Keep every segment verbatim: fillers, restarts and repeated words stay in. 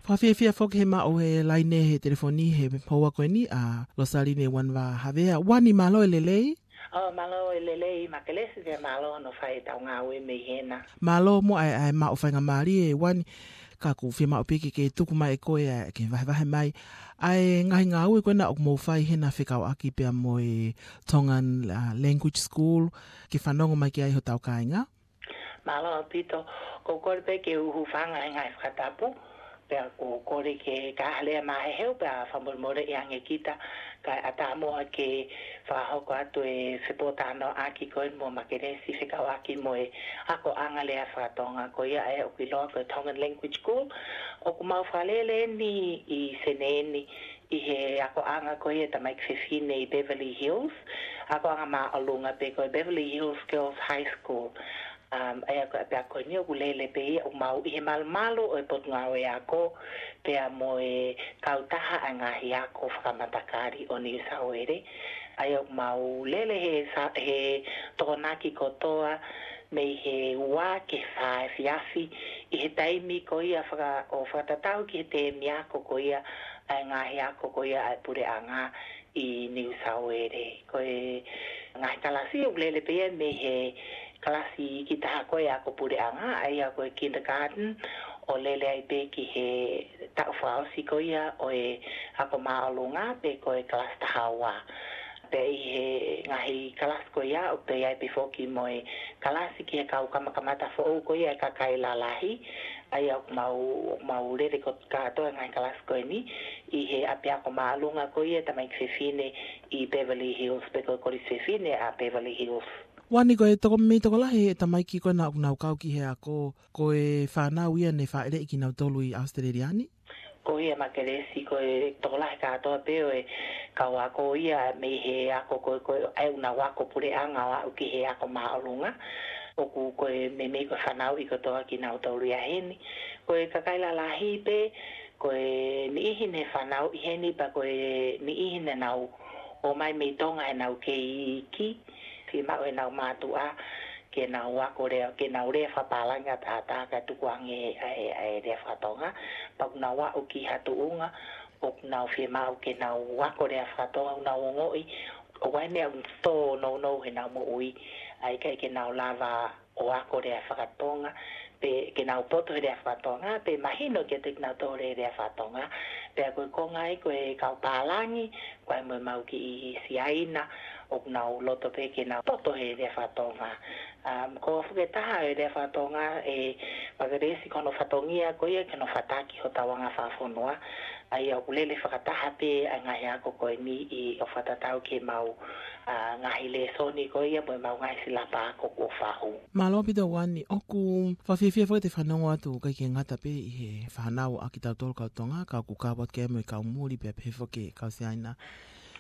Fakafiefia foki he maʻu he laine he telefoni he houa ko eni ʻa Losaline Uanivā Havea. Uani, mālō e lelei. ʻO mālō e lelei Makelesi, pea mālō hono fai ʻetau ngāue mei hena. Mālō muʻa ʻa e, ʻa e maʻu faingamālie, Uani, ka ʻoku fiemaʻu pē ke, ke tuku mai ʻe koe ʻa e, ke vahevahe mai ʻa e ngaahi ngāue ko ena ʻoku mou fai hena fekauʻaki pea mo e Tongan, uh, Language School, ke fanongo mai ki ai hotau kāinga. Mālō ʻaupito, ʻoku ou kole pē ke u hūfanga he ngaahi fakatapu, pea ʻoku ou kole ke ka ha lea māheheu pea fakamolemoleʻi ange kita, kae ʻatā muʻa ke fakahoko atu e fepōtalanoaʻaki ko eni mo Makelesi fekauʻaki mo e akoʻanga lea faka-Tonga ko ia ʻa ē ʻoku ʻiloa ko e Tongan Language School. ʻOku mau fakalele eni ʻi Senē ni ʻi he akoʻanga ko ia ʻa e tamaiki fefine ʻi Beverly Hills, akoʻanga māʻolunga pe ko e Beverly Hills Girls High School. Um, ʻa ia ko e ʻapiako ni ʻoku lele pē ia ʻoku mau ʻi he malumalu ʻo e Potungāue Ako pea mo e kautaha ʻa e ngaahi ako fakamatakali ʻo Niu Sauele. ʻA ia ʻoku mau lele he sa-, he Tokonaki kotoa mei he ua ki he fā efiafi ʻi he taimi ko ia faka-, ʻo fakatatau ki he teemi ako ko ia ʻa e ngaahi ako ko ia ʻa e puleʻanga ʻi Niu Sauele. Ko e ngaahi kalasi ʻoku lele pē ia mei he kalasi iiki taha ko e ako puleʻanga, ʻa ia ko e kindergarten, ʻo lele ai pē ki he taʻu fakaʻosi ko ia ʻo e ako māʻolunga pe ko e kalasi taha ua. Pea ʻi he ngaahi kalasi ko ia ʻoku toe ʻi ai pē foki mo e kalasi ki he kau kamakamata foʻou ko ia ʻa e kakai lalahi, ʻa ia ʻoku mau, mau lele ko kātoa e ngaahi kalasi ko eni ʻi he ʻapiako māʻolunga ko ia ʻa e tamaiki fefine ʻi Beverly Hills pe ko e Kolisi Fefine ʻa Beverly Hills. Uani, ko e toko-, mei tokolahi e tamaiki ko ena ʻoku nau kau ki he ako, ko e fānau ia ne fāʻeleʻi kinautolu ʻi ʻAositelēlia ni? Ko ia Makelesi, ko e tokolahi kātoa pē ʻo e kau ako ia mei he ako ko, ko ē ʻoku nau ako puleʻanga ʻo aʻu ki he ako māʻolunga. ʻOku ko e meimei ko e fanauʻi kotoa kinautolu ia heni. Ko e kakai lalahi pē, ko e niʻihi ne fanauʻi heni pea ko e niʻihi ne nau ō mai mei Tonga heʻenau kei iiki, fiemaʻu ʻenau mātuʻa ke nau ako lea, ke nau lea fakapālangi ʻataʻatā kae tukuange ʻa e, ʻa e lea faka-Tonga. Pea ʻoku nau aʻu ki ha tuʻunga ʻoku nau fiemaʻu ke nau ako lea faka-Tonga, ʻoku nau ongoʻi ʻoku ʻi ai e meʻa ʻoku tōnounou heʻenau moʻui, ʻa ia ʻikai ke nau lava ʻo ako lea faka-Tonga, pe ke nau poto he lea faka-Tonga, pe mahino kiate kinautolu e lea faka-Tonga. Pea ko e konga ia ko e kau pālangi, ko e mo ʻemau kiʻi Siaina, ʻoku nau loto pē ke nau poto he lea faka-Tonga. Um, ko e foʻi taha e lea faka-Tonga, ʻe Makelesi, ko hono fatongia ko ia ke nau fataki hotau anga fakafonua, ʻa ia ʻoku lele fakataha pē ʻa e ngaahi ako ko eni ʻo fakatatau ki heʻemau, ʻa, ngaahi lēsoni ko ia mo ʻemau ngaahi silapa ako kuo faʻu. Mālō ʻaupito Uani, ʻoku fakafiefia foki ʻete fanongo atu ʻoku ʻikai ke ngata pē ʻi he fānau ʻa kitautolu kau Tonga, ka ʻoku kau atu ki ai mo e kau muli pea pehē foki e kau Siaina.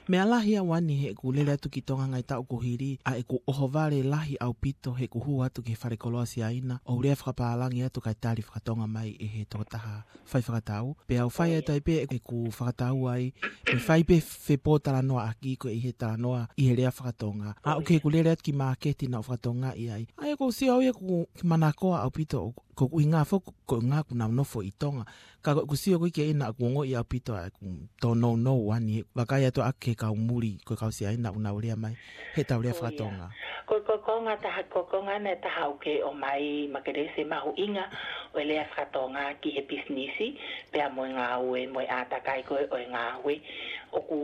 Meʻa lahi ia Uani, heʻeku lele atu ki Tonga he ngaahi taʻu kuo hili, ʻa ʻeku ʻohovale lahi ʻaupito heʻeku hū atu ki he falekoloa Siaina ʻo lea fakapālangi atu kae tali faka-Tonga mai ʻe he tokotaha fai fakatau. Pea u fai atu ai pē ʻeku fakatau ai, ʻe fai pē fepōtalanoaʻaki ko ē ʻi he talanoa ʻi he lea faka-Tonga. ʻA ʻoku ke ku lele atu ki māketi naʻa ku faka-Tongaʻi ai. ʻA ia ʻoku ou sio au ia ʻoku manakoa ʻaupito, ko e ʻuhinga foki ko e ʻuhinga ʻoku nau nofo ʻi Tonga. Ka ko ʻeku sio ko ē ki ai naʻa ku ongoʻi ʻaupito ʻa ʻeku tōnounou Uani, vakai atu ʻa e kau muli, ko e kau Siaina ʻoku nau lea mai heʻetau lea faka-Tonga. Ko, ko, ko e konga taha, ko e konga ʻe taha ʻoku ke ʻomai Makelesi, mahuʻinga ʻo e lea faka-Tonga ki he pisinisi, pea mo e ngāue, mo e ʻātakai ko ē ʻo e ngāue. ʻOku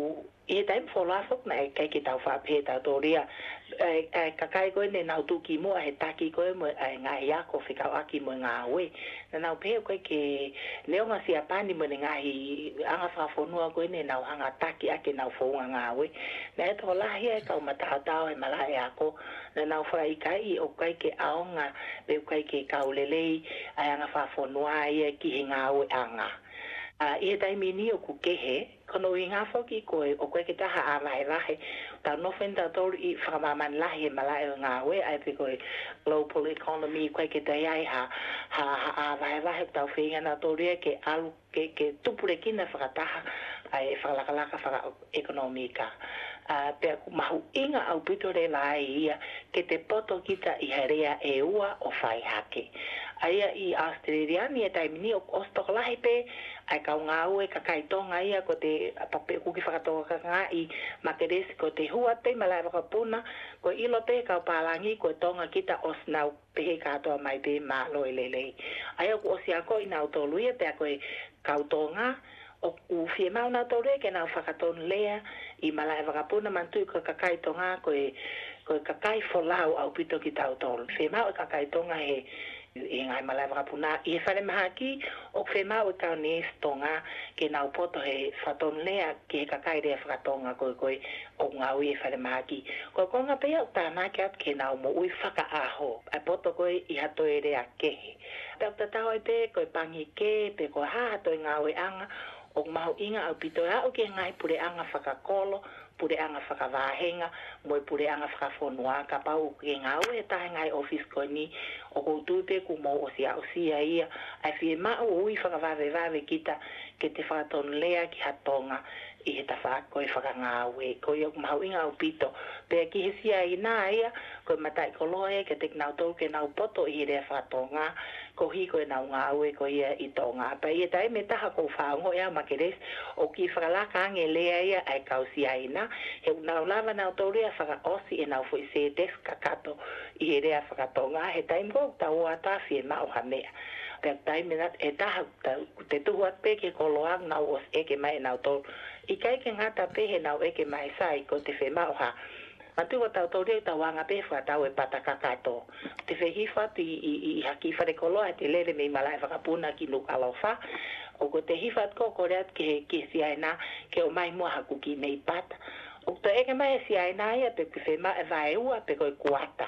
ʻi he taimi fuoloa foki naʻe ʻikai ke tau faʻa pehē ʻe tautolu ia, ʻa e, ʻa e kakai ko ē ne nau tuʻu ki muʻa he taki ko ē mo e, ʻa e ngaahi ako fekauʻaki mo e ngāue. Naʻa nau pehē ʻoku ʻikai ke, neongo Siapani mo ʻene ngaahi anga fakafonua ko ē ne nau hanga ʻo taki ʻaki ʻenau founga ngāue, naʻe tokolahi ʻa e kau mataotao he malaʻe ako naʻa nau fakaʻikaiʻi ʻoku ʻikai ke ʻaonga pe ʻoku ʻikai ke kau lelei ʻa e anga fakafonua ia ki he ngāueʻanga. ʻA, ʻi he taimi ni ʻoku kehe, ko hono ʻuhinga foki ko e ʻoku ʻikai ke taha ʻā vahevahe. Tau nofo eni tautolu ʻi fakamāmani lahi he malaʻe ʻo e ngāue, ʻa ia pē ko e global economy, ʻoku ʻikai ke toe ʻi ai ha, ha, ha ʻā vahevahe, ʻoku tau feinga nautolu ia ke ʻalu, ke, ke tupulekina fakataha ʻa e fakalakalaka fakaʻekonōmika. ʻA, pea ʻoku mahuʻinga ʻaupito leva ai ia ke te poto kita ʻi ha lea ʻe ua ʻo fai hake. ʻA ia ʻi ʻAositelēlia ni ʻi he taimi ni ʻoku ʻosi tokolahi pē ʻa e kau ngāue kakai Tonga ia ko ʻete pea pē ʻoku ke fakatokangaʻi Makelesi ko ʻete hū atu pē ʻi malaʻe vakapuna, ko e ʻilo pē ʻe he kau pālangi ko e Tonga kita, ʻosi nau pehē kātoa mai pē mālō e lelei. ʻA ia ʻoku ʻosi akoʻi nautolu ia pea ko e kau Tonga, ʻoku fiemaʻu nautolu ia ke nau fakatonulea ʻi malaʻe vakapuna, manatuʻi ko e kakai Tonga ko e, ko e kakai folau ʻaupito kitautolu. Fiemaʻu e kakai Tonga he, he ngaahi malaʻe vakapuna, ʻi he falemahaki ʻoku fiemaʻu e kau neesi Tonga ke nau poto he fakatonulea ki he kakai lea fakatonga ko ē ko ē ʻoku ngāue ʻi he falemahaki. Ko e konga pē ia ʻoku tānaki atu ke nau moʻui fakaʻaho, ʻa e poto ko ē ʻi ha toe lea kehe. Pea ʻoku tatau ai pē ko e pangikē pe ko e hā ha toe ngāueʻanga, ʻoku mahuʻinga ʻaupito e aʻu ki he ngaahi puleʻanga fakakolo, puleʻanga fakavāhenga, mo e puleʻanga fakafonua. Kapau ʻoku ke ngāue he taha e ngaahi ʻōfisi ko eni, ʻoku ou tui pē kuo mou ʻosi aʻusia ia ʻa e fiemaʻu ʻo ui fakavavevave kita ke te fakatonulea ki ha Tonga ʻi he tafaʻaki ko ē fakangāue. Ko ia ʻoku mahuʻinga ʻaupito. Pea ki he Siaina ia, ko e mataʻikoloa ia kiate kinautolu ke nau poto ʻi he lea fakatonga, koeʻuhi ko ʻenau ngāue ko ia ʻi Tonga. Pea ʻi he taimi ʻe taha ʻoku ou faʻa ongoʻi au, Makelesi, ʻoku kiʻi fakalaka ange e lea ia ʻa e kau Siaina, he ʻoku nau lava nautolu ia ʻo fakaʻosi ʻenau foʻi sētesi kakato ʻi he lea fakatonga he taimi ko ē ʻoku tau ō atu ʻo fiemaʻu ha meʻa. Pea taimi ʻe taha ʻoku te tuhu atu pē ki he koloa ʻoku nau ʻosi ʻeke mai ʻe nautolu. ʻIkai ke ngata pē heʻenau ʻeke mai, sai, ko ʻete fiemaʻu ha, manatuʻi ko tautolu ia ʻoku tau anga pē he fakatau e pata kakato. Te fehifo atu ʻi, ʻi, ʻi ha kiʻi falekoloa, te lele mei malaʻe vakapuna ki Nukuʻalofa. ʻOku te hifo atu ko ē ʻo kole atu ki he, ki he Siaina ke ʻomai muʻa haku kiʻi meʻi pata. ʻOku toe ʻeke mai ʻe he Siaina ia pe ʻoku ke fiemaʻu e vaeua pe ko e kuata.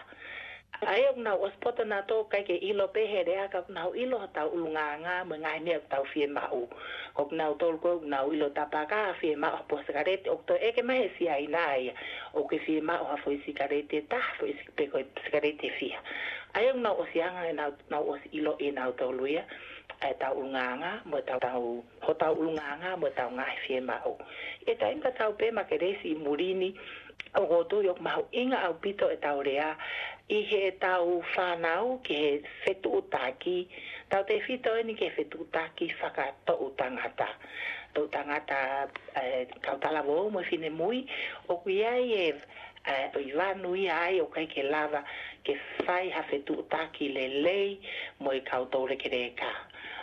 ʻA ia ʻoku nau ʻosi poto nautolu, ʻikai ke ʻilo pē he lea ka ʻoku nau ʻilo hotau ʻulungaanga mo e ngaahi meʻa ʻoku tau fiemaʻu. Ko kinautolu ko ē ʻoku nau ʻilo tapu hake ʻo fiemaʻu ha puha sikaleti, ʻoku toe ʻeke mai ʻe he Siaina ia, ʻoku ke fiemaʻu ha foʻi sikaleti ʻe taha, foʻi sik-, pe ko e sikaleti ʻe fiha. ʻA ia ʻoku nau ʻosi anga ʻenau, nau ʻosi ʻiloʻi ʻe nautolu ia ʻa ʻetau ʻulungaanga mo ʻetau, tau, hotau ʻulungaanga mo ʻetau ngaahi fiemaʻu. ʻI he taimi tatau pē, Makelesi, ʻi muli ni, ʻoku ou tui ʻoku mahuʻinga ʻaupito ʻetau lea ʻi heʻetau fānau ki he fetuʻutaki, tautefito eni ki he fetuʻutaki fakatoʻutangata. Toʻutangata, ē, kau talavou mo e finemui, ʻoku ʻi ai e, ē, ʻi vanu ia ai ʻoku ʻikai ke lava ke fai ha fetuʻutaki lelei mo e kau toulekeleka.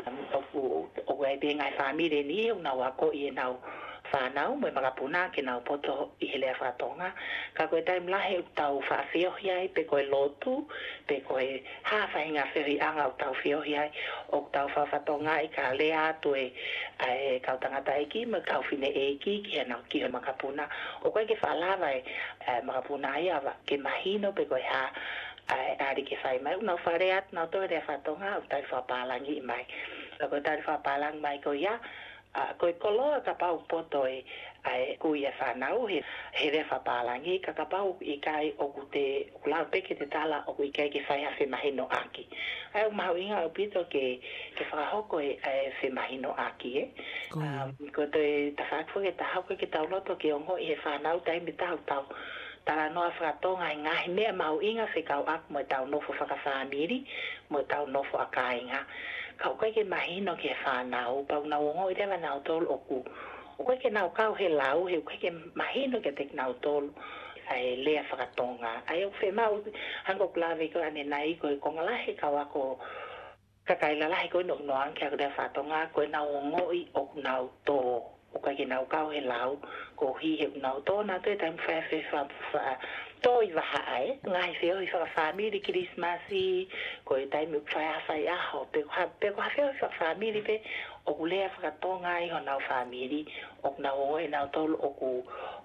ʻOku, ʻoku ʻi ai pē ngaahi fāmili eni ʻoku nau akoʻi ʻenau fānau mo e makapuna ke nau poto ʻi he lea fakatonga. Ka ko e taimi lahi ʻoku tau faʻa feohi ai, pe ko e lotu, pe ko e hā faʻahinga feohiʻanga ʻoku tau feohi ai, ʻoku tau faʻa fakatokangaʻi ka lea atu e, ʻa e kau tangataʻeiki mo e kau fineʻeiki ki heʻenau, ki he makapuna. ʻOku ʻikai ke faʻa lava e, ē, makapuna ia ʻo ke mahino pe ko e hā ʻa e ʻali ke fai mai. ʻOku nau faʻa lea atu nautolu he lea fakatonga, ʻoku tali fakapālangi mai. Ka ko e tali fakapālangi mai ko ia, ʻa, ko e koloa kapau ʻoku poto e, ʻa e kui e fānau he, he lea fakapālangi, ka kapau ʻoku ʻikai, ʻoku te, ʻoku lau pē ke te tala ʻoku ʻikai ke fai ha femahinoʻaki. ʻA ia ʻoku mahuʻinga ʻaupito ke, ke fakahoko e, ʻa e femahinoʻaki, ē. Ko ia. Um, ko e toe tafaʻaki foki ʻe taha ʻoku ʻikai ke tau loto ke ongoʻi ʻe he fānau taimi ʻe taha ʻoku tau talanoa fakatonga e ngaahi meʻa mahuʻinga fekauʻaki mo ʻetau nofo fakafāmili, mo ʻetau nofo ʻa kāinga. Ka ʻoku ʻikai ke mahino ki he fānau, pea ʻoku nau ongoʻi leva nautolu ʻoku, ʻoku ʻikai ke nau kau he lau, he ʻoku ʻikai ke mahino kiate kinautolu ʻa e lea fakatonga. ʻA ia ʻoku fiemaʻu, hangē ko ʻeku lave ko ē ʻanenai, ko e konga lahi e kau ako kakai lalahi ko ē ʻoku nau ʻalu ki he ako lea fakatonga, ko ʻenau ongoʻi ʻoku nau tō. ʻOku ʻikai ke nau kau he lau, koeʻuhi he ʻoku nau tō nautolu he taimi fai afe fa-, fa-, tō ʻi vahaʻa, ē. Ngaahi feohi fakafāmili, Kilisimasi, ko e taimi ʻoku fai ha faiʻaho, pe ko ha, pe ko ha feohi fakafāmili pē, ʻoku lea fakatonga ai honau fāmili, ʻoku nau ongoʻi nautolu ʻoku,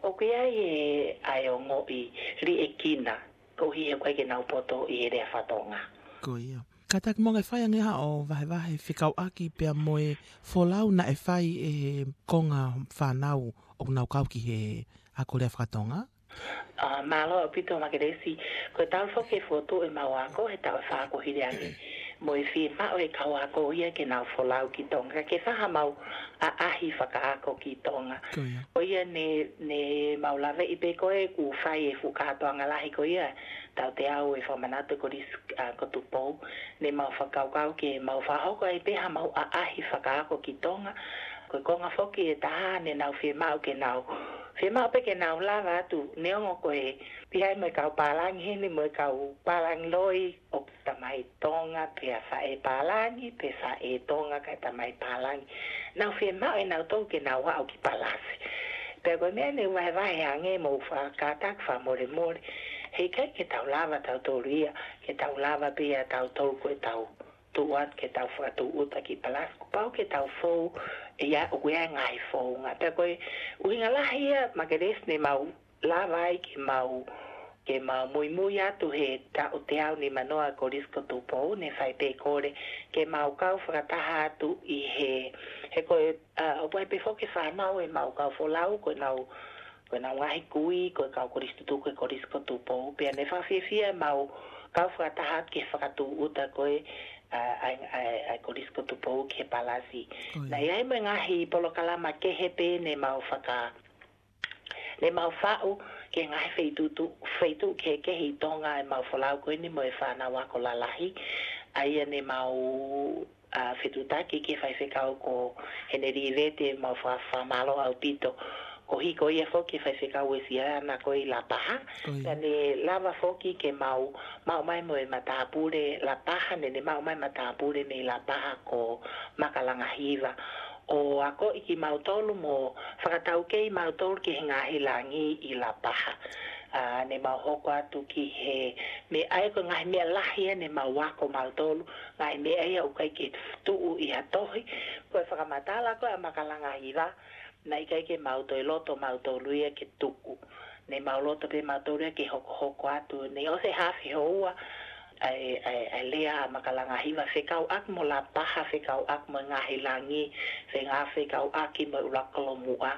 ʻoku ʻi ai e, ʻa e ongoʻi liʻekina, koeʻuhi he ʻoku ʻikai ke nau poto ʻi he lea fakatonga. Ko ia. Kātaki Monga, ʻe fai ange haʻo vahevahe fekauʻaki pea mo e folau naʻe fai ʻe he konga fānau ʻoku nau kau ki he ako lea fakatonga? ʻA, mālō ʻaupito Makelesi, ko e talu foki e fokotuʻu ʻemau ako he taʻu ʻe fā kuo hili ange. Mo e fiemaʻu ʻe he kau ako ia ke nau folau ki Tonga, ke fai haʻamau ʻaʻahi fakaako ki Tonga. Ko ia. Ko ia ne, ne mau laveʻi pē ko ē kuo fai e fuʻu kātoanga lahi ko ia, tauteau e fakamanatu e Kolisi, ʻa, ko Tupou, ne mau fakakaukau ke mau fakahoko ai pē haʻamau ʻaʻahi fakaako ki Tonga. Ko e konga foki ʻe taha ne nau fiemaʻu ke nau, fiemaʻu pē ke nau lava atu, neongo ko e pihia mo e kau pālangi heni mo e kau pālangi loi, ʻoku tamai Tonga, pea faʻē pālangi, pe faʻē Tonga kae tamai pālangi. Nau fiemaʻu ʻe nautolu ke nau aʻu ki Palasi. Pea ko e meʻa ne u vahevahe ange mo u fakakātaki fakamolemole. Heʻikai ke tau lava tautolu ia, ke tau lava pē ia tautolu ko e tau tuʻu atu ke tau fakatūʻuta ki Palasi. Kuo pau ke tau fou, ʻe ia ʻoku ʻi ai e ngaahi founga. Pea ko e ʻuhinga lahi ia Makelesi ne mau lava ai ke mau, ke mau muimui atu he taʻu teau nimanoa Kolisi ko Tupou ne fai pē kole ke mau kau fakataha atu ʻi he, he ko e, ʻa, ʻoku ʻi ai pē foki e fānau ʻemau kau folau ko ʻenau, ko ʻenau ngaahi kui, ko e kau kolisi tutuku ʻo e Kolisi ko Tupou. Pea ne fakafiefia ʻemau kau fakataha atu ke fakatūʻuta ko ē, ʻa, ʻa, ʻa, ʻa e Kolisi ko Tupou ki he Palasi. Ko ia. Naʻe ʻi ai mo e ngaahi polokalama kehe pē ne mau faka, ne mau faʻu ki he ngaahi feituʻu, feituʻu kehekehe ʻi Tonga ʻemau folau ko eni mo e fānau ako lalahi. ʻA ia ne mau, ʻa, fetuʻutaki ki he faifekau ko Henelī Vete, mau fa-, fakamālō ʻaupito. Koeʻuhi ko ia foki e faifekau Uēsiliana ko ē ʻi Lapaha. Ko ia. Pea ne lava foki ke mau, maʻu mai mo e matāpule Lapaha, ne ne maʻu mai matāpule mei Lapaha ko Maka Langahiva. ʻO akoʻi kimautolu mo fakataukei mautolu ki he ngaahi langi ʻi Lapaha. ʻA, ne mau hoko atu ki he meʻa ia, ko e ngaahi meʻa lahi ia ne mau ako mautolu, ngaahi meʻa ia ʻoku ʻikai ke tuʻu ʻi ha tohi, ko e fakamatala ko ē ʻa Maka Langahiva, naʻe ʻikai ke mau toe loto mautolu ia ke tuku. Ne mau loto pē mautolu ia ke hokohoko atu, ne ʻosi e haafe houa, ʻa e, ʻa e, ʻa e lea ʻa Maka Langahiva fekauʻaki mo Lapaha, fekauʻaki mo e ngaahi langi, fenga fekauʻaki mo e ʻuluaki kolomuʻa.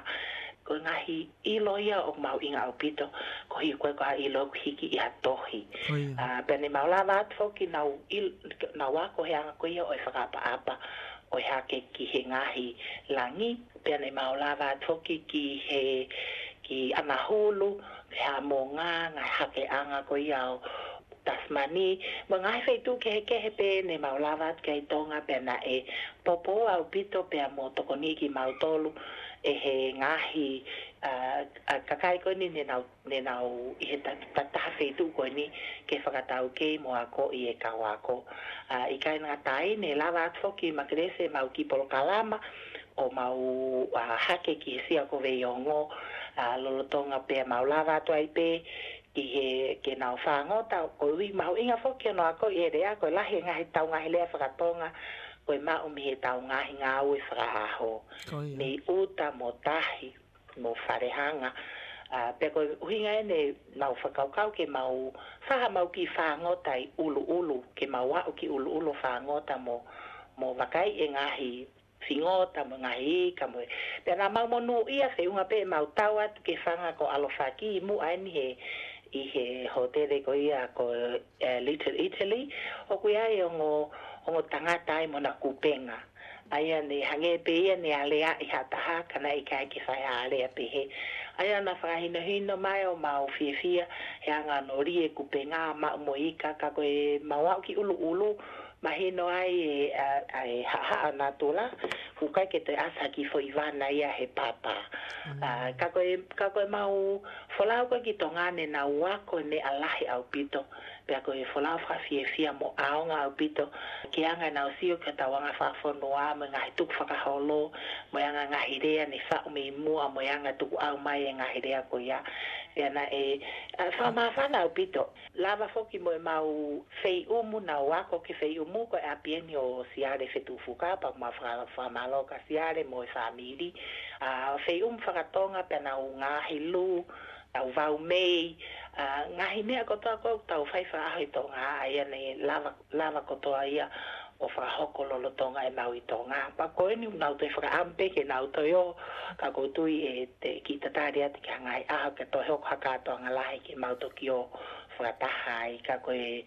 Ko e ngaahi ʻilo ia ʻoku mahuʻinga ʻaupito, koeʻuhi ko e ʻikai ko ha ʻilo ʻoku hiki ʻi ha tohi. Ko ia. ʻA, pea ne mau lava atu foki ke nau ʻil-, nau ako he anga ko ia ʻo e fakaʻapaʻapa ʻo e hake ki he ngaahi langi, pea ne mau lava atu foki ki he, ki ʻAnahulu, ki Haʻamonga, ngaahi hakeʻanga ko ia ʻo Tasimani, mo e ngaahi feituʻu kehekehe pē ne mau lava atu ki ai ʻi Tonga, pea naʻe poupou ʻaupito pea mo tokoniʻi kimautolu ʻe he ngaahi, ʻa, ʻa, kakai ko eni ne nau, ne nau ʻi he ta-, ta-, taha feituʻu ko eni ke fakataukei mo akoʻi e kau ako. ʻA, ʻikai ngata ai, ne lava atu foki Makelesi ʻemau kiʻi polokalama ʻo mau, ʻa, hake ki he Sia ko Veiongo, ʻa, lolotonga pea mau lava atu ai pē ki he, ke nau fāngota, koeʻuhi mahuʻinga foki hono akoʻi e lea, ko e lahi e ngaahi, ʻetau ngaahi lea faka-Tonga, ko e maʻu mei heʻetau ngaahi ngāue fakaʻaho. Ko ia. Mei ʻuta mo tahi, mo falehanga. ʻA, pea ko e ʻuhinga eni ʻemau fakakaukau ke mau fai haʻamau kiʻi fāngota ʻi ʻUluʻulu, ke mau aʻu ki ʻUluʻulu ʻo fāngota mo, mo vakaiʻi e ngaahi fingota mo e ngaahi ika mo e. Pea naʻa mau monūʻia feʻunga pē ʻemau tau atu ki he fanga ko ʻAlofaki ʻi muʻa eni he, ʻi he hōtele ko ia ko, ē, Little Italy, ʻoku ʻi ai e ongo, ongo tangata ai mo ʻena kupenga. ʻA ia ne hangē pē ia ne aleaʻi ha taha, ka naʻe ʻikai ke fai ha alea pehē. ʻA ia naʻa fakahinohino mai ʻo mau fiefia he anga hono lī e kupenga, maʻu mo e ika, ka ko ʻemau aʻu ki ʻUluʻulu, mahino ai e, ʻa, ʻa e haʻahaʻa natula, ʻoku ʻikai ke toe ʻasi ha kiʻi foʻi vana ia he papa. Mm. ʻA, ka ko e, ka ko ʻemau folau ko ē ki Tonga ne nau ako e meʻa lahi ʻaupito. Pea ko e folau fakafiefia mo ʻaonga ʻaupito, ki he anga ʻenau sio ki hotau anga fakafonua, mo e ngaahi tukufakaholo, mo e anga e ngaahi lea ne faʻu mei muʻa, mo e anga e tukuʻau mai e ngaahi lea ko ia. Pea naʻe, ʻa, fakamāfana ʻaupito. Lava foki mo ʻemau feiʻumu, nau ako ki he feiʻumu ko e ʻapi eni ʻo Siale Fetuʻufuka, pea mau faka-, fakamālō kia Siale mo e fāmili. ʻA, feiʻumu faka-Tonga pea nau ngaahi lū, tau vau mei, ʻa, ngaahi meʻa kotoa ko ē ʻoku tau fai fakaʻaho ʻi Tonga, ʻa ia ne lava, lava kotoa ia ʻo fakahoko lolotonga e maʻu ʻi Tonga. Pea ko eni ʻoku nau toe fakaʻamu pē ke nau toe ō, ka ʻoku ou tui ʻe te kiʻi tatali atu ki ha ngaahi ʻaho ke toe hoko ha kātoanga lahi ke mau toki ō fakataha ai. Ka ko e,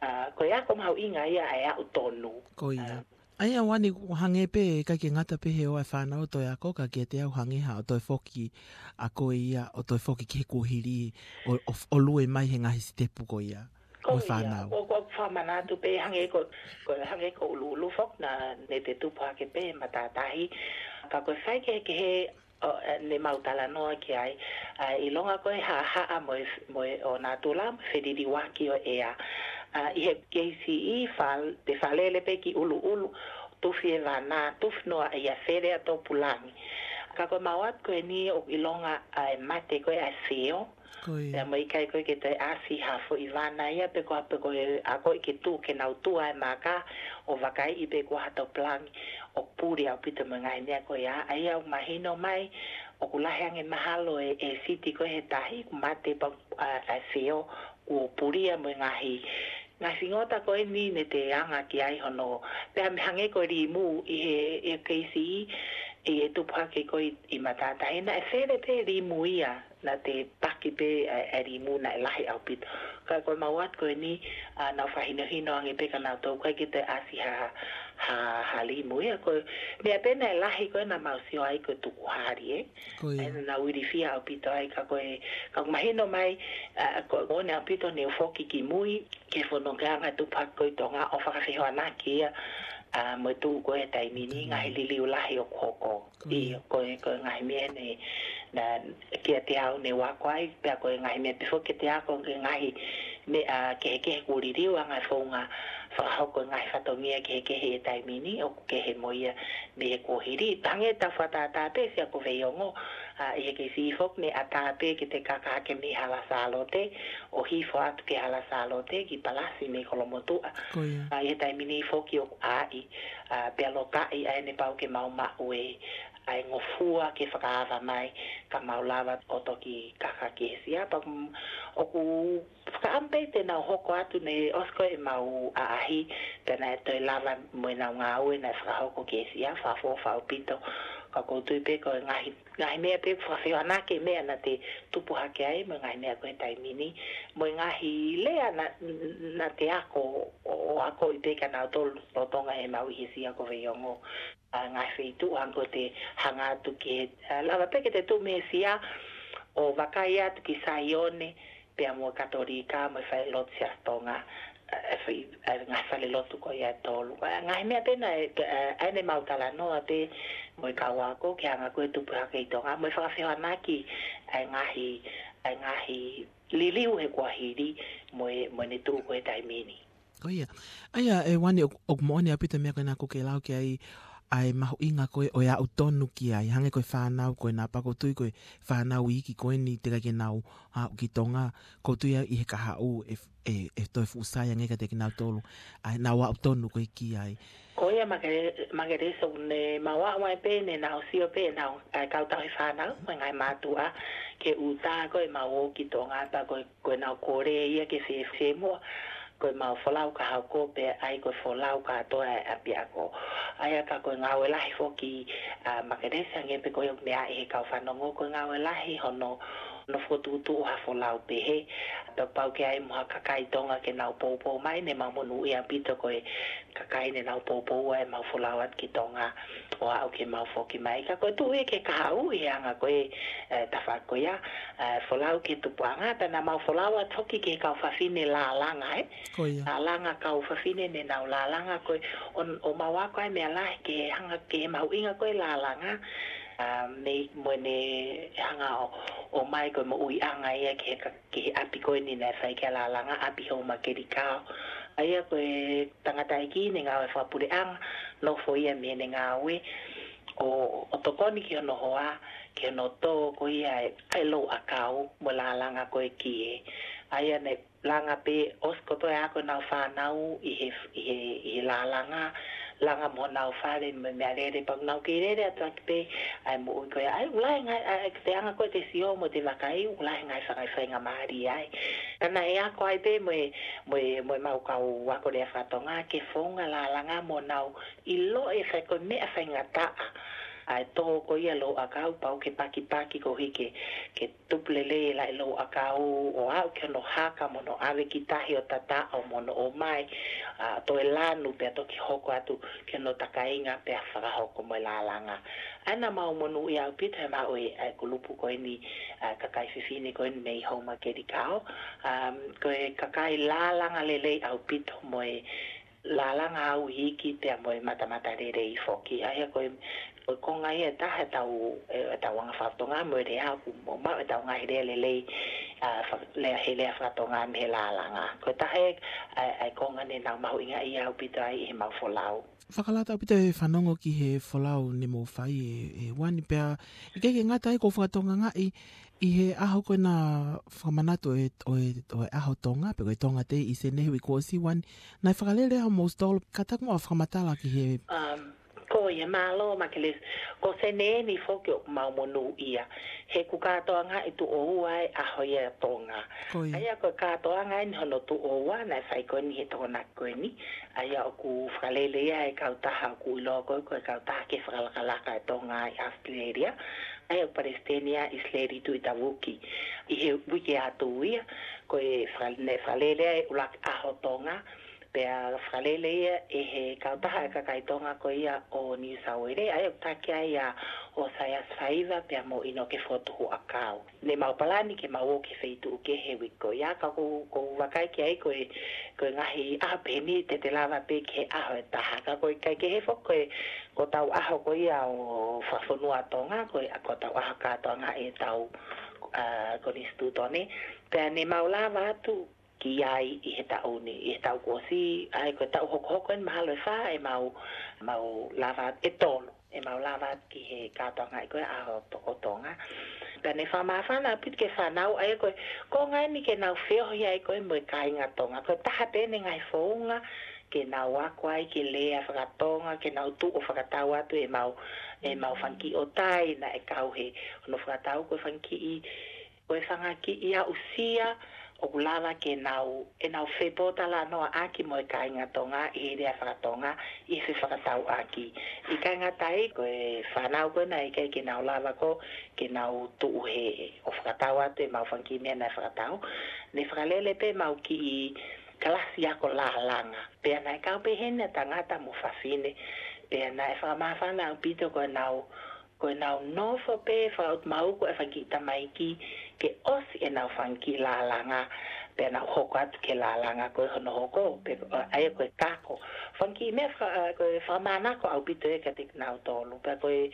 ʻa, ko e ako mahuʻinga ia ʻa e aʻu tonu. Ko ia. ʻA, ʻa ia Uani, ʻoku hangē pē ʻikai ke ngata pē he ō ʻa e fānau ʻo toe ako, ka kiate au hangē ha ʻo toe foki, ʻa ko ia ʻo toe foki ki he kuohili ʻo, ʻo, ʻo lue mai he ngaahi sitepu ko ia. Ko mo e ia, fānau. ʻOku, ʻoku ou fakamanatu pē hangē ko, ko hangē ko ʻUluʻulu foki naʻa ne te tupu hake pē matātahi. Ka ko e faikehekehe ʻo, ʻe, ne mau talanoa ki ai, ʻa, ʻilonga ko e haʻahaʻa mo e, mo e ʻo natula mo e feliliuaki ʻo e ʻea. ʻA, ʻi he K C E fal-, te falele pē ki ʻUluʻulu, tufi e vana, tufi noa ia fele ʻa Topulangi. Ka ko e mau atu ko eni ʻoku ʻilonga ʻa e mate ko ē ʻa e feo, Ko ia. Pea mo e ʻikai ko ē ke toe ʻasi ha foʻi vana ia pe ko ha pe ko e ʻa ko ē ke tu, ke nau tua e maka ʻo vakaiʻi pe ko ha Topulangi ʻoku puli ʻaupito mo e ngaahi meʻa ko ia. ʻA ia ʻoku mahino mai ʻoku lahi ange mahalo e, e siti ko ē he tahi, ʻoku mate pea, ʻa, ʻa e feo, kuo pulia mo e ngaahi, ngaahi fingota ko eni ne te anga ki ai hono, pea mei hangē ko e limu ʻi he, e K C E, ʻi he tupu hake ko ē ʻi matātahi, naʻe fele pē limu ia, naʻa te paki pē ʻa, ʻa e limu naʻe lahi ʻaupito. Ka ko e mau atu ko eni, ʻa, nau fakahinohino ange pē kia nautolu ʻikai ke toe ʻasi ha, ha, ha limu ia. Ko e meʻa pē naʻe lahi ko ē naʻa mau sio ai ko e tukuhali, ē. Ko ia. ʻA ia naʻa nau ilifia ʻaupito ai, ka ko e, ka ʻoku mahino mai, ʻa, ko e moʻoni ʻaupito ne u foki ki mui, ki he fono ke anga tupu hake ko ē ʻi Tonga ʻo fakafehoanaki ia, ʻa, mo e tuʻu ko ē he taimi ni, Taimi. ngaahi liliu lahi ʻoku hoko. Ko ia. ʻIo, ko e, ko e ngaahi meʻa ne, naʻa kiate au ne u ako ai, pea ko e ngaahi meʻa pē foki kiate au ko e ngaahi meʻa kehekehe kuo liliu ʻa e ngaahi founga fakahoko e ngaahi fatongia kehekehe he taimi ni, ʻoku kehe mo ia mei he kuohili. Hangē ʻetau fakatātā pē ʻi he Ako Veiongo, ʻa, ʻi he K C E foki ne ʻatā pē ke te kaka hake mei Hala Sālote, ʻo hifo atu ki Hala Sālote, ki Palasi mei Kolomotuʻa. Ko ia. ʻA, ʻi he taimi ni foki ʻoku ʻai, ʻa, pea lokaʻi ʻa ē ne pau ke mau maʻu e, ʻa e ngofua ke fakaava mai, ka mau lava ʻo toki kaka ki he sia. Pea ʻoku, ʻoku fakaʻamu pē te nau hoko atu ne ʻosi ko ē ʻemau ʻaʻahi, pea naʻe toe lava mo ʻenau ngāue naʻe fakahoko ki he sia, fakaʻofoʻofa ʻaupito. Ka ʻoku ou tui pē ko e ngaahi, ngaahi meʻa pē fakafehoanaki meʻa naʻa te tupu hake ai, mo e ngaahi meʻa ko ē he taimi ni, mo e ngaahi lea naʻa, naʻa te ako, ʻo, ʻo akoʻi pē kia nautolu lolotonga ʻemau ʻi he sia ko Veiongo. ʻA, ngaahi feituʻu hangē ko ʻete hanga atu ki he, ʻa, lava pē ke te tuʻu mei he sia ʻo vakai atu ki Saione, pea mo e Katolika, mo e falelotu Siasi Tonga, ʻa, ʻa, fai, ʻa, ngaahi falelotu ko ia ʻe tolu. ʻA, ngaahi meʻa pē naʻe, ʻa, ʻa ʻene mau talanoa pē mo e kau ako ke hanga ko ē tupu hake ʻi Tonga, mo e fakafehoanaki ʻa e ngaahi, ʻa e ngaahi liliu he kuohili mo e, mo ʻene tuʻu ko ē he taimi ni. Ko ia. ʻA ia, ʻe Uani, ʻoku, ʻoku moʻoni ʻaupito e meʻa ko ena ʻoku ke lau ki ai, ʻa e mahuʻinga ko ē ʻo e aʻu tonu ki ai. Hangē ko e fānau ko ena, pea ʻoku ou tui ko e fānau iiki ko eni teʻeki ai ke nau aʻu ki Tonga, ʻoku ou tui ʻi he kahaʻu ʻe, ʻe, ʻe toe fuʻu sai ange kiate kinautolu ʻa ʻenau aʻu tonu ko ē ki ai. Ko ia Make-, Makelesi, ʻoku ne mau aʻu mai pē ne nau sio pē ʻenau, ʻa e kau tauhi fānau, mo e ngaahi mātuʻa, ki he ʻuta ko ē ʻemau ō ki Tonga, pea ko e, ko ʻenau kole ia ke fie, fiemua, ko ʻemau folau ka hoko pē ʻa ia ko e folau kātoa ʻa e ʻapiako. ʻA ia ka ko e ngāue lahi foki, ʻa, Makelesi, hangē pē ko ia ʻoku meaʻi ʻe he kau fanongo, ko e ngāue lahi hono, hono fokotuʻutuʻu ha folau pehē. Pea kapau ʻoku ʻi ai mo ha kakai Tonga ke nau poupou mai, ne mau monūʻia ʻaupito ko e kakai ne nau poupou ʻa ʻemau folau atu ki Tonga ʻo aʻu ke mau foki mai. Ka ko e tuʻu ia ki he kahaʻu ʻi he anga ko ē, ʻe, tafaʻaki ko ia, ʻe, folau ki he tupuʻanga, pea naʻa mau folau atu foki ki he kau fafine lālanga, ē? Ko ia. Lālanga, kau fafine ne nau lālanga, ko e, ʻo, ʻo mau ako ai e meʻa lahi ki he hanga ki he mahuʻinga ko ē lālanga, ʻa, mei, mo ʻene hanga ʻo, ʻomai ko e moʻuiʻanga ia ki he ka-, ki he ʻapi ko eni naʻe fai ki ai e lālanga, ʻapi Houmakelikao. ʻA ia ko e tangataʻeiki ne ngāue fakapuleʻanga, nofo ia mei heʻene ngāue ʻo, ʻo tokoni ki hono hoa, ki hono tō ko ia ʻa e, ʻa e louʻakau mo e lālanga ko ē ki he. ʻA ia ne langa pē ʻosi kotoa e ako ʻenau fānau ʻi he, ʻi he, ʻi he lālanga, langa mo honau fale mo e meʻalele, pea ʻoku nau kei lele atu ʻaki pē ʻa e moʻui ko ia. ʻA ia ʻoku lahi e ngaahi, ʻa e, te anga ko ē te sio mo te vakai, ʻoku lahi e ngaahi faingamālie ai. Ka naʻe ako ai pē mo e, mo e, mo ʻemau kau ako lea faka-Tonga ke founga lālanga mo nau ʻiloʻi e fai ko e meʻa faingataʻa ʻa e tō ko ia louʻakau, pau ke pakipaki koeʻuhi ke, ke tupu lelei e laʻi louʻakau ʻo aʻu ki hono haka mo hono ʻave ki tahi ʻo tataʻo mo hono ʻomai, ʻa, toe lanu pea toki hoko atu ki hono takainga pea fakahoko mo e lālanga. ʻA ia naʻa mau monūʻia ʻaupito he maʻu e, ʻa e kulupu ko eni, ʻa e kakai fefine ko eni mei Houmakelikao. Um, ko e kakai lālanga lelei ʻaupito mo e lālanga au iiki pea mo e matamatalelei foki. ʻA ia ko e, ko e konga ia ʻe taha ʻetau, e, ʻetau anga faka-Tonga mo e lea ʻoku mo maʻu ʻetau ngaahi lea lelei, ʻa, fa-, lea, he lea faka-Tonga mei he lālanga. Ko e taha e, ʻa e, ʻa e konga naʻa nau mahuʻingaʻia ʻaupito ai ʻi heʻemau folau. Fakalata ʻaupito e fanongo ki he folau naʻa mou fai ē, ē Uani, pea ʻikai ke ngata ai, ʻoku ou fakatokangaʻi ʻi he ʻaho ko ena fakamanatu ʻo e, ʻo e, ʻo e ʻAho Tonga, pe ko e Tonga Day ʻi Senē he uike kuo ʻosi, Uani, naʻe fakalele ai homou stall, kātaki muʻa ʻo fakamatala ki he. Um, ko ia, mālō Makelesi, ko Senē ni foki ʻoku mau monūʻia he ʻoku kātoangaʻi tuʻo ua e ʻaho ia ʻo Tonga. Ko ia. ʻA ia ko e kātoanga eni hono tuʻo ua naʻe fai ko eni he Tokonaki ko eni. ʻA ia ʻoku fakalele ia ʻe he kautaha ʻoku ʻiloa ko ē ko e Kautaha Kei Fakalakalaka ʻa Tonga ʻi ʻAositelēlia. ʻA ia ʻoku palesiteni ʻa ʻIsileli Tuʻitavuki. ʻI he uike atu ia, ko e fakale-, naʻe fakalele ai e ʻuluaki ʻaho Tonga, pea fakalele ia ʻe he kautaha ʻa e kakai Tonga ko ia ʻo Niu Sauele, ʻa ia ʻoku taki ai ʻa ʻOsaiasi Faiva pea mo ʻInoke Fotu Huʻakau. Naʻa mau palani ke mau ō ki he feituʻu kehe he uike ko ia, ka ʻoku, ʻoku ou vakai ki ai ko e, ko e ngaahi ʻaho pehē ni te te lava pē ki he ʻaho ʻe taha. Ka ko e ʻikai ke hifo ko e, ko hotau ʻaho ko ia ʻo fakafonua Tonga, ko e, ko hotau ʻaho kātoangaʻi ʻetau, ʻa, konisitūtone. Pea naʻa mau lava atu ki ai ʻi he taʻu ni, ʻi he taʻu kuo ʻosi, ʻa ia ko e taʻu hokohoko eni mahalo ʻe fā, ʻe mau, mau lava atu, ʻe tolu, ʻe mau lava atu ki he kātoangaʻi ko ē ʻaho To-, ʻo Tonga. Pea naʻe fakamāfana ʻaupito ki he fānau, ʻa ia ko e konga eni ke nau feohi ai ko ē mo e kāinga Tonga. Ko e taha pē eni e ngaahi founga ke nau ako ai ki he lea faka-Tonga, ke nau tuʻu ʻo fakatau atu ʻemau, ʻemau fanga kiʻi ʻotai naʻe kau he, hono fakatau ko e fanga kiʻi, ko e fanga kiʻi aʻusia ʻoku lava ke nau, ʻenau fepōtalanoaʻaki mo e kāinga Tonga ʻi he lea faka-Tonga ʻi he fefakatauʻaki. ʻIkai ngata ai, ko e fānau ko ena ʻikai ke nau lava ko ē ke nau tuʻu hē ʻo fakatau atu ʻemau fanga kiʻi meʻa naʻe fakatau, naʻe fakalele pē ʻemau kiʻi kalasi ako lālanga. Pea naʻe kau pē heni ʻa tangata mo fafine. Pea naʻe fakamāfana ʻaupito ko ʻenau, ko ʻenau nofo pē fakaʻutumauku e fanga kiʻi tamaiki ke ʻosi ʻenau fanga kiʻi lālanga, pea nau hoko atu ki he lālanga ko ē hono hoko, pe, ʻa ia ko e kako. Fanga kiʻi meʻa faka-, ko e fakamānako ʻaupito ia kiate kinautolu. Pea ko e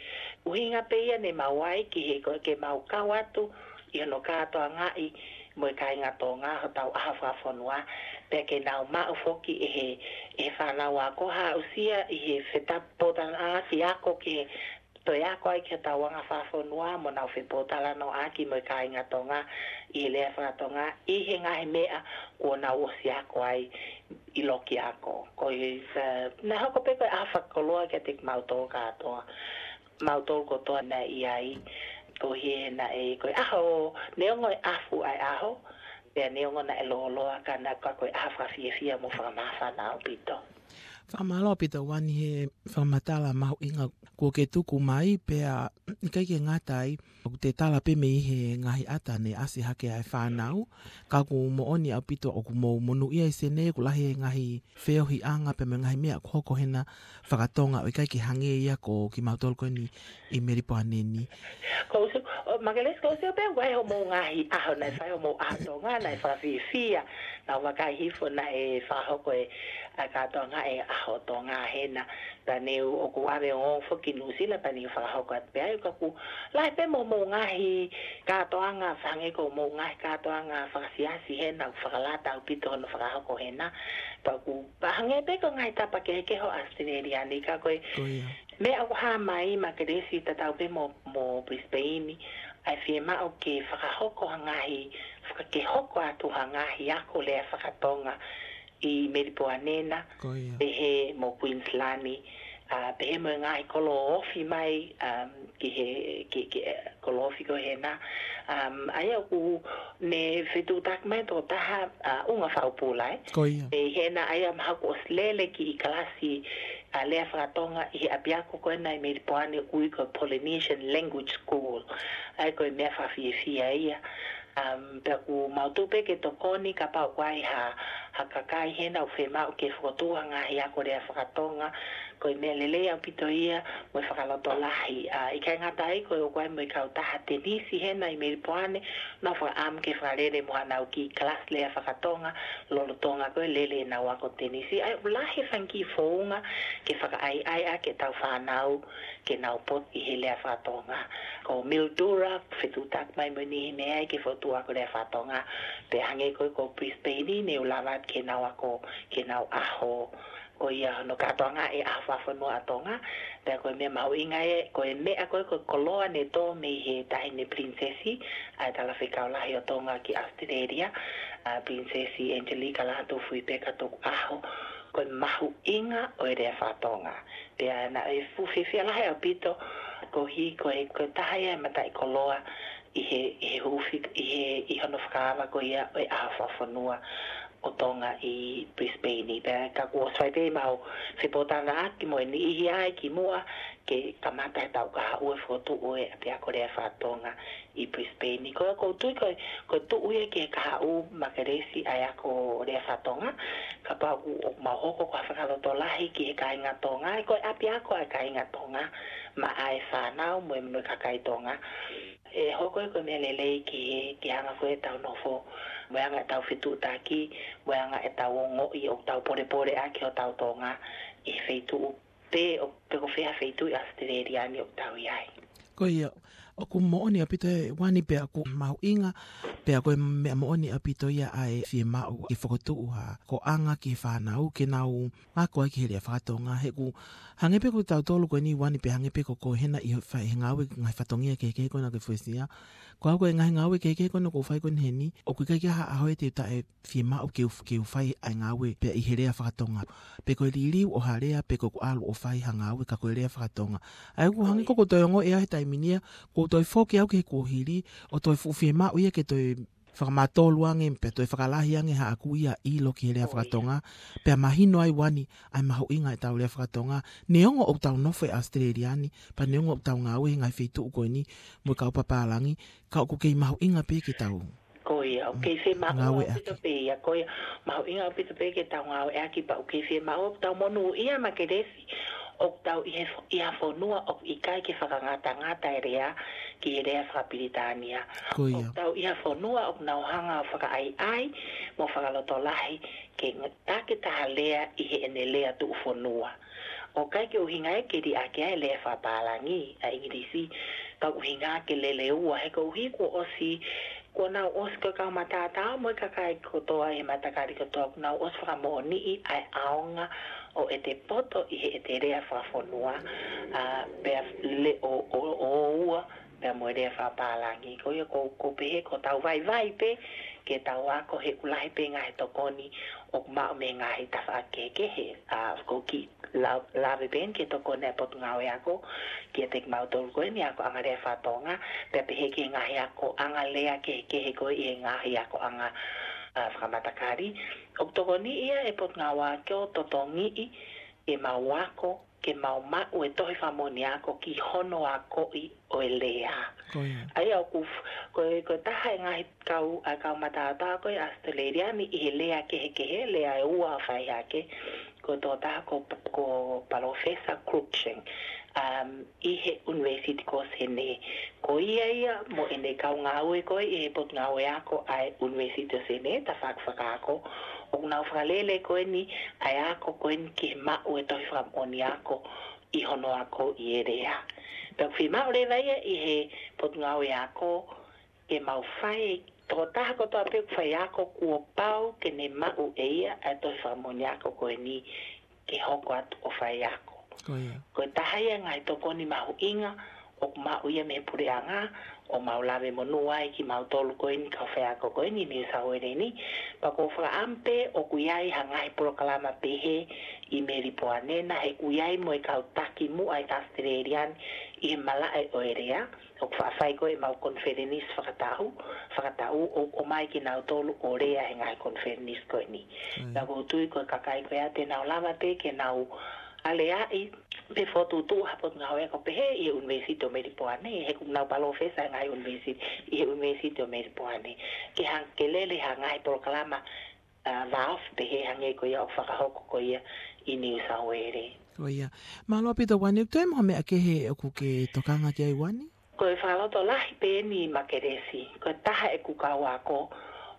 ʻuhinga pē ia naʻa mau ʻai ki he, ko e ke mau kau atu ʻi hono kātoangaʻi mo e kāinga Tonga hotau ʻaho fakafonua, pea ke nau maʻu foki ʻe he, ʻe he fānau ako ha aʻusia ʻi he fepōtalanoaʻaki ako ke toe ako ai ki hotau anga fakafonua mo nau fepōtalanoaʻaki mo e kāinga Tonga ʻi he lea faka-Tonga ʻi he ngaahi meʻa kuo nau ʻosi ako ai ʻi loki ako. Ko e, ē, naʻe hoko pē ko e ʻaho fakakoloa kiate kimautolu kātoa. Mautolu kotoa naʻe ʻi ai, koeʻuhi he naʻe, ko e ʻaho, neongo e ʻafu ʻa e ʻaho, pea neongo naʻe lōloa ka naʻe, ka ko e ʻaho fakafiefia mo fakamāfana ʻaupito. Fakamālō ʻaupito Uani he fakamatala mahuʻinga kuo ke tuku mai, pea ʻikai ke ngata ai, ʻoku te tala pē mei he ngaahi ʻata naʻe ʻasi hake ʻa e fānau, ka ʻoku moʻoni ʻaupito ʻoku mou monūʻia ʻi Senē, ʻoku lahi e ngaahi feohiʻanga pea mo e ngaahi meʻa ʻoku hoko hena faka-Tonga ʻo ʻikai ke hangē ia ko kimautolu ko eni ʻi Melipoane ni. Ko u sio, ʻo Makelesi, ko u sio pē ʻoku ʻi ai hoʻomou ngaahi ʻaho naʻe fai hoʻomou ʻaho Tonga, naʻe fakafiefia, naʻa ku vakai hifo naʻe fakahoko e, ʻa e kātoanga e ʻaho Tonga hena. Pea naʻe ʻoku ʻave ʻo foki Nuʻusila pea naʻe fakahoko atu pē ai, ka ʻoku lahi pē mo hoʻomou ngaahi kātoanga, hangē ko hoʻomou ngaahi kātoanga fakasiasi hena ʻoku fakalata ʻaupito hono fakahoko hena. Pea ʻoku, pea hangē pē ko e ngaahi tapa kehekehe ʻo ʻAositelēlia ni ka ko e Ko ia. meʻa ʻoku hā mai Makelesi tatau pē mo, mo Brisbane, ʻa e fiemaʻu ke fakahoko ha ngaahi, faka-, ke hoko atu ha ngaahi ako lea faka-Tonga ʻi Melipoane na, Ko ia. pehē mo Queensland, ʻa, pehē mo e ngaahi kolo ofi mai, um, ki he, ki, ki, eh, kolo ofi ko ē hena. Um, ʻa ia ʻoku ne fetuʻutaki mai tokotaha, ʻa, ʻunga fakapula, ē. Ko ia. ʻI hena ʻa ia mahalo kuo ʻosi lele kiʻi kalasi, ʻa, lea fakatonga ʻi he ʻapiako ko ena ʻi Melipoane ʻoku ui ko e Polynesian Language School. ʻA ia ko e meʻa fakafiefia ia. Um, pea ʻoku mau tuʻu pē ke tokoni kapau ʻoku ʻi ai ha, ha kakai hena ʻoku fiemaʻu ke fokotuʻu ha ngaahi ako lea fakatonga. Ko e meʻa lelei ʻaupito ia mo e fakalotolahi. ʻA, ʻikai ngata ai ko e ʻoku ʻi ai mo e kautaha tenisi hena ʻi Melipoane, nau fakaʻamu ke fakalele mo hanau kiʻi kalasi lea fakatonga, lolotonga ko e lele ʻenau ako tenisi. ʻA ia ʻoku lahi e fanga kiʻi founga ke fakaʻaiʻai ʻaki ʻetau fānau ke nau poto ʻi he lea fakatonga. Ko Mildura, fetuʻutaki mai mo e niʻihi mei ai ke fokotuʻu ako lea fakatonga. Pea hangē ko ē ko Brisbane, ne u lava ke nau ako, ke nau ʻaho. Ko ia hono kātoanga e ʻaho fakafonua ʻa Tonga. Pea ko e meʻa mahuʻinga ē, ko e meʻa ko ē ko e koloa ne tō mei he Taʻahine Pilinisesi, ʻa e Talafekau Lahi ʻo Tonga ki ʻAositelēlia, ʻa Pilinisesi Angelika Lātūfuipeka Tukuʻaho. Ko e mahuʻinga ʻo e lea fakatonga. Pea naʻe fuʻu fiefia lahi ʻaupito, koeʻuhi ko e, ko e taha ia e mataʻikoloa ʻi he, ʻi he huufi, ʻi he, ʻi hono fakaava ko ia ʻo e ʻaho fakafonua ʻo Tonga ʻi Brisbane. Pea ka kuo ʻosi fai pē ʻemau fepōtalanoaʻaki mo e niʻihi ia kimuʻa ke kamata heʻetau kahaʻu e fokotuʻu e ʻapiako lea fakatonga ʻi Brisbane. Ko ia ʻoku ou tui ko e, ko e tuʻu ia ki he kahaʻu Makelesi ʻa e ako lea fakatonga, kapau ʻoku mau hoko ko ha fakalotolahi ki he kāinga Tonga, ʻa ia ko e ʻapiako ʻa e kāinga Tonga, maʻa e fānau mo e, mo e kakai Tonga. ʻE hoko ia ko e meʻa lelei ki he, ki he anga ko ē ʻetau nofo, mo e anga ʻetau fetuʻutaki, mo e anga ʻetau ongoʻi ʻoku tau polepole ʻaki hotau Tonga ʻi he feituʻu pē ʻo, pe ko fē ha feituʻu ʻi ʻAositelēlia ni ʻoku tau ʻi ai. Ko ia, ʻoku moʻoni ʻaupito ē Uani, pea ʻoku mahuʻinga, pea ko e meʻa moʻoni ʻaupito ia ʻa e fiemaʻu ke fokotuʻu ha koeʻanga ki he fānau ke nau ako ai ki he lea fakatonga. He ʻoku hangē pē ko tautolu ko eni Uani, pea hangē pē ko, ko hena ʻi he fai he ngāue ngaahi fatongia kehekehe ko ena ke fuesia. Ko au ko e ngaahi ngāue kehekehe ko ena ʻoku ou fai ko eni heni, ʻoku ʻikai ke ʻi ai ha ʻaho ʻe te u taʻe fiemaʻu ke u, ke u fai ʻa e ngāue pea ʻi he lea fakatonga. Pe ko e liliu ʻo ha lea, pe ko ʻeku ʻalu ʻo fai ha ngāue ka ko e lea fakatonga. ʻA ia ʻoku hangē ko ʻeku toe ongoʻi ʻa e taimi ni ia, ʻoku ou toe foki au ki he kuohili, ʻo toe fuʻu fiemaʻu ia ke toe fakamatolu ange, pea toe fakalahi ange haʻaku ia ʻilo ki he lea fakatonga, pea mahino ai Uani ʻa e mahuʻinga ʻetau lea fakatonga. Neongo ʻoku tau nofo ʻi ʻAositelēlia ni, pea neongo ʻoku tau ngāue he ngaahi feituʻu ko eni mo e kau papālangi, ka ʻoku kei mahuʻinga pē ke tau Ko ia, ʻoku kei fiemaʻu ʻaupito pē ia, ko ia, mahuʻinga ʻaupito pē ke tau ngāueʻaki pea ʻoku kei fiemaʻu ʻoku tau monūʻia Makelesi, ʻoku tau ʻi he fo-, ʻi ha fonua ʻoku ʻikai ke fakangatangata e lea ki he lea fakapilitānia. Ko ia. ʻOku tau ʻi ha fonua ʻoku nau hanga ʻo fakaʻaiʻai mo fakalotolahi ke ng-, takitaha lea ʻi heʻene lea tuʻufonua. ʻOku ʻikai ke ʻuhinga ia ke liʻaki ʻa e lea fakapālangi ʻa ʻIngilisi, ka ʻuhinga ke lele ua he koeʻuhi kuo ʻosi, kuo nau ʻosi ko e kau mataotao mo e kakai kotoa ʻi he matakali kotoa, kuo nau ʻosi fakamoʻoniʻi ʻa e ʻaonga ʻo ʻete poto ʻi heʻete lea fakafonua, ʻa, pea le-, ʻo, ʻo, ʻo ua, pea mo e lea fakapālangi. Ko ia ʻoku ou, ʻoku ou pehē ʻoku tau vaivai pē ke tau ako he ʻoku lahi pē ngaahi tokoni ʻoku maʻu mei he ngaahi tafaʻaki kehekehe. ʻA, ʻoku ou kiʻi la-, lave pē eni ki he tokoni ʻa e Potungāue Ako kiate kimautolu ko eni akoʻanga lea fakatonga, pea pehē ki he ngaahi akoʻanga lea kehekehe ko ē ʻi he ngaahi akoʻanga, ʻa, fakamatakali. ʻOku tokoniʻi ia ʻe he Potungāue Ako ʻo totongiʻi ke mau ako, ke mau maʻu e tohi fakamoʻoni ako ki hono akoʻi ʻo e lea. Ko ia. ʻA ia ʻoku f-, ko e, ko e taha e ngaahi kau, ʻa e kau mataotao ko ē ʻAositelēlia ni ʻi he lea kehekehe, lea ʻe ua ʻoku fai hake, ko e tokotaha ko, ko Palōfesa Cruikshank, um, ʻi he ʻUnivēsiti ko Senē. Ko ia ia mo ʻene kau ngāue ko ē ʻi he Potungāue Ako ʻa e ʻUnivēsiti ʻo Senē, tafaʻaki fakaako, ʻoku nau fakalele ko eni ʻa e ako ko eni ki he maʻu e tohi fakamoʻoni ako ʻi hono akoʻi e lea. Pea ʻoku fiemaʻu leva ia ʻe he Potungāue Ako ke mau fai, tokotaha kotoa pē ʻoku faiako kuo pau ke ne maʻu ʻe ia ʻa e tohi fakamoʻoni ako ko eni ke hoko atu ʻo faiako. Ko ia. Ko e taha ia e ngaahi tokoni mahuʻinga ʻoku maʻu ia mei he puleʻanga, ʻo mau lave monū ai kimautolu ko eni, kau faiako ko eni, New South Wales ni. Pea ʻoku ou fakaʻamu pē ʻoku ʻi ai ha ngaahi polokalama pehē ʻi Melipoane na, he ʻoku ʻi ai mo e kau taki muʻa ʻa e Australian ʻi he malaʻe ʻo e lea. ʻOku faʻa fai ko ē ʻemau konifelenisi fakataʻu, fakataʻu ʻo, ʻomai kinautolu ʻo lea he ngaahi konifelenisi ko eni. Pea ʻoku ou tui ko e kakai ko ia te nau lava pē ke nau aleaʻi pe fokotuʻutuʻu ha potungāue ako pehē ʻi he ʻUnivēsiti ʻo Melipoane, he ʻoku nau palōfesa he ngaahi ʻunivēsiti ʻi he ʻUnivēsiti ʻo Melipoane. Ke hanga ke lele ha ngaahi polokalama, ʻa, vāofi pehē hangē ko ia ʻoku fakahoko ko ia ʻi New South Wales. Ko ia. Mālō ʻaupito Uani, ʻoku toe mo ha meʻa kehe ʻoku ke tokanga ki ai Uani? Ko e fakalotolahi pē eni Makelesi, ko e taha ʻeku kau ako,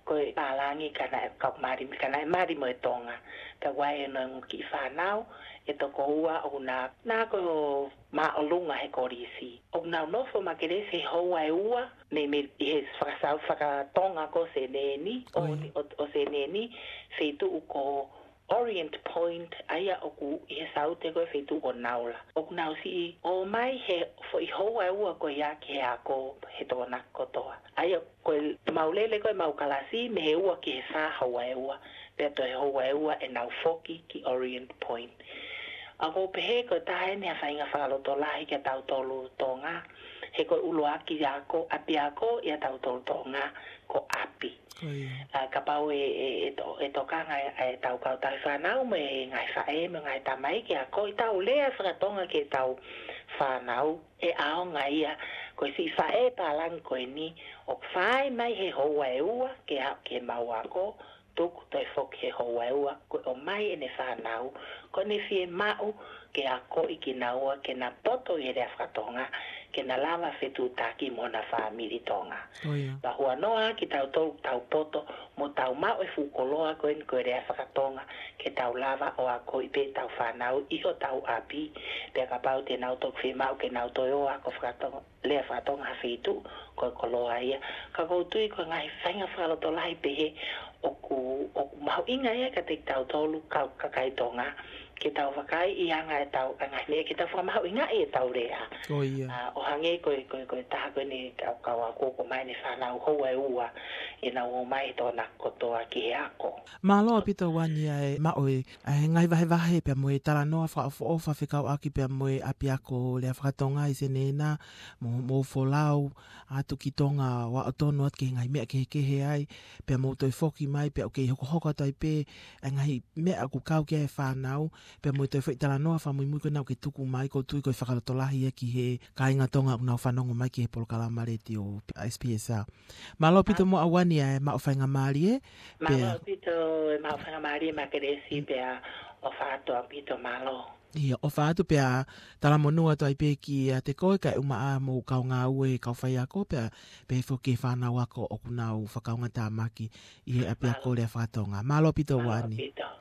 ko e pālangi ka naʻe kau mali, ka naʻe mali mo e Tonga. Pea ʻoku ʻi ai hono ongo kiʻi fānau ʻe toko ua ʻoku na, na ko māʻolunga he kolisi. ʻOku nau nofo Makelesi he houa ʻe ua, mei, mei he fakasau fakatonga ko Seneni, ʻo, ʻo, ʻo Seneni, feituʻu ko Orient Point, ʻa ia ʻoku ʻi he saute ko e feituʻu ko Naula. ʻOku nau siʻi ō mai he foʻi houa ʻe ua ko ia ki he ako he Tokonaki kotoa. ʻA ia ko e mau lele ko e mau kalasi mei he ua ki he fā houa ʻe ua, pea toe houa ʻe ua ʻenau foki ki Orient Point. ʻA ʻoku ou pehē ko e taha eni ha faʻahinga fakalotolahi kia tautolu Tonga, he ko e ʻuluaki ako, ʻapiako ʻia tautolu Tonga, ko ʻapi. Ko ia. ʻA, kapau ʻe, ʻe, ʻe to-, ʻe tokanga ʻe, ʻe tau kau tauhi fānau mo e ngaahi faʻē mo e ngaahi tamai ke akoʻi ʻetau lea fakatonga ki heʻetau fānau, ʻe ʻaonga ia. Ko e siʻi faʻē pālangi ko eni, ʻoku fai mai he houa ʻe ua ke aʻu ki he mau ako, tuku toe foki he houa ʻe ua, ko e ʻomai ʻene fānau, ko ʻene fiemaʻu ke akoʻi kinaua ke na poto ʻi he lea fakatonga, ke na lava fetuʻutaki mo hona fāmili Tonga. Ko ia. Pea huanoa kitautolu tau poto, mo tau maʻu e fuʻu koloa ko eni ko e lea fakatonga, ke tau lava ʻo akoʻi pē ʻetau fānau ʻi hotau ʻapi, pea kapau te nau toki fiemaʻu ke nau toe ō ʻo ako fakatonga, lea fakatonga ha feituʻu, ko e koloa ia. Ka ʻoku ou tui ko e ngaahi faʻahinga fakalotolahi pehē ʻoku, ʻoku mahuʻinga ia kiate kitautolu kau kakai Tonga, ke tau vakai ʻi he anga ʻetau, ʻa e ngaahi meʻa ke tau fakamahuʻingaʻi ʻetau lea. Ko ia. ʻA, ʻo hangē ko e, ko e, ko e taha ko eni kau, kau ako ʻoku ʻomai ʻene fānau houa ʻe ua, ʻenau ō mai he Tokonaki kotoa ki he ako. Mālō ʻaupito Uani ʻa e maʻu e, ʻa e ngaahi vahevahe pea mo e talanoa fakaʻofoʻofa fekauʻaki pea mo e ʻapiako lea fakatonga ʻi Senena, mo, mo folau atu ki Tonga ʻo aʻu tonu atu ki he ngaahi meʻa kehekehe ai, pea mou toe foki mai, pea ʻoku kei hokohoko atu ai pē ʻa e ngaahi meʻa ʻoku kau ki ai e fānau, pea mo e toe foʻi talanoa fakamuimui ko ena ʻoku ke tuku mai, ʻoku ou tui ko e fakalotolahi ia ki he kāinga Tonga ʻoku nau fanongo mai ki he polokalama letiō S P S. Mālō ʻaupito mo Uani ʻa e maʻu faingamālie, pea ʻofa atu ʻaupito e maʻu faingamālie Makelesi, pea ʻofa atu ʻaupito, mālō. ʻIo, ʻofa atu pea talamonū atu ai pē kiate koe kae ʻumaʻā mo e kau ngāue, kau faiako, pea pehē foki ki he fānau ako ʻoku nau fakaongotāmaki ʻi he ʻapiako lea fakatonga. Mālō ʻaupito Uani. Mālō ʻaupito.